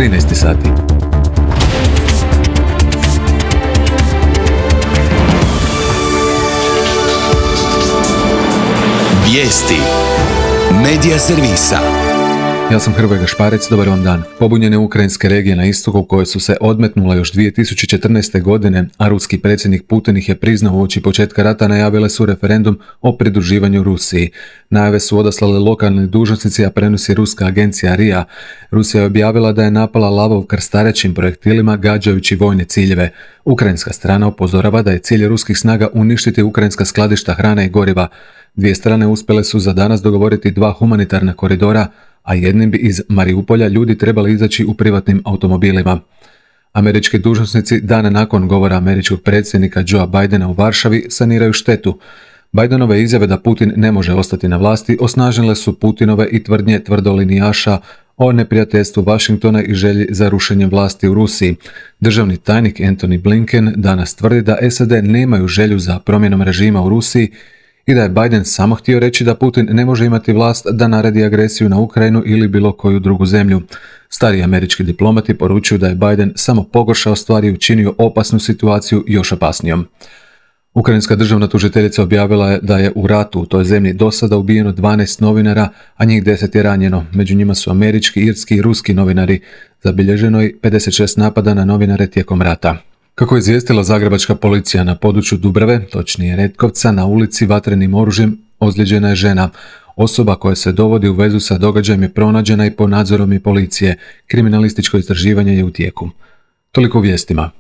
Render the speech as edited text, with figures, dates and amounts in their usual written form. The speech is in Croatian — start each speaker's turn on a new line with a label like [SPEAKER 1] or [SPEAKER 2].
[SPEAKER 1] 13 sati.
[SPEAKER 2] Vijesti Medija servisa.
[SPEAKER 1] Ja sam Hrvoje Gašparec, dobar vam dan. Pobunjene ukrajinske regije na istoku koje su se odmetnule još 2014. godine, a ruski predsjednik Putin ih je priznao uoči početka rata, najavile su referendum o pridruživanju Rusiji. Najave su odaslali lokalni dužnosnici, a prenosi ruska agencija RIA. Rusija je objavila da je napala Lavov krstarećim projektilima gađajući vojne ciljeve. Ukrajinska strana upozorava da je cilj ruskih snaga uništiti ukrajinska skladišta hrane i goriva. Dvije strane uspjele su za danas dogovoriti 2 humanitarna koridora, a jednim bi iz Mariupolja ljudi trebali izaći u privatnim automobilima. Američki dužnosnici dan nakon govora američkog predsjednika Joea Bidena u Varšavi saniraju štetu. Bidenove izjave da Putin ne može ostati na vlasti osnažile su Putinove i tvrdnje tvrdolinijaša o neprijateljstvu Washingtona i želji za rušenjem vlasti u Rusiji. Državni tajnik Antony Blinken danas tvrdi da SAD nemaju želju za promjenom režima u Rusiji i da je Biden samo htio reći da Putin ne može imati vlast da naredi agresiju na Ukrajinu ili bilo koju drugu zemlju. Stari američki diplomati poručuju da je Biden samo pogoršao stvari i učinio opasnu situaciju još opasnijom. Ukrajinska državna tužiteljica objavila je da je u ratu u toj zemlji do sada ubijeno 12 novinara, a njih 10 je ranjeno. Među njima su američki, irski i ruski novinari. Zabilježeno je 56 napada na novinare tijekom rata. Kako je izvijestila zagrebačka policija, na području Dubrave, točnije Retkovca, na ulici vatrenim oružjem ozlijeđena je žena. Osoba koja se dovodi u vezu sa događajem je pronađena i pod nadzorom je policije. Kriminalističko istraživanje je u tijeku. Toliko u vijestima.